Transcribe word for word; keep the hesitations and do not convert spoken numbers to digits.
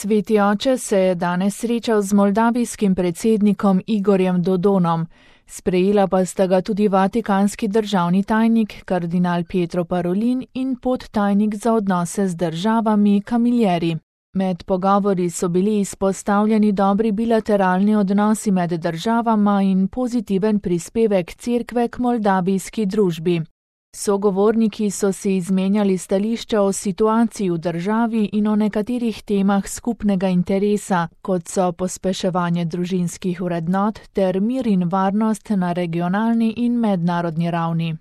Sveti oče se je danes srečal z moldavijskim predsednikom Igorjem Dodonom. Sprejela pa sta ga tudi vatikanski državni tajnik kardinal Pietro Parolin in podtajnik za odnose z državami Camilleri. Med pogovori so bili izpostavljeni dobri bilateralni odnosi med državama in pozitiven prispevek cerkve k moldavijski družbi. Sogovorniki so si izmenjali stališča o situaciji v državi in o nekaterih temah skupnega interesa, kot so pospeševanje družinskih vrednot ter mir in varnost na regionalni in mednarodni ravni.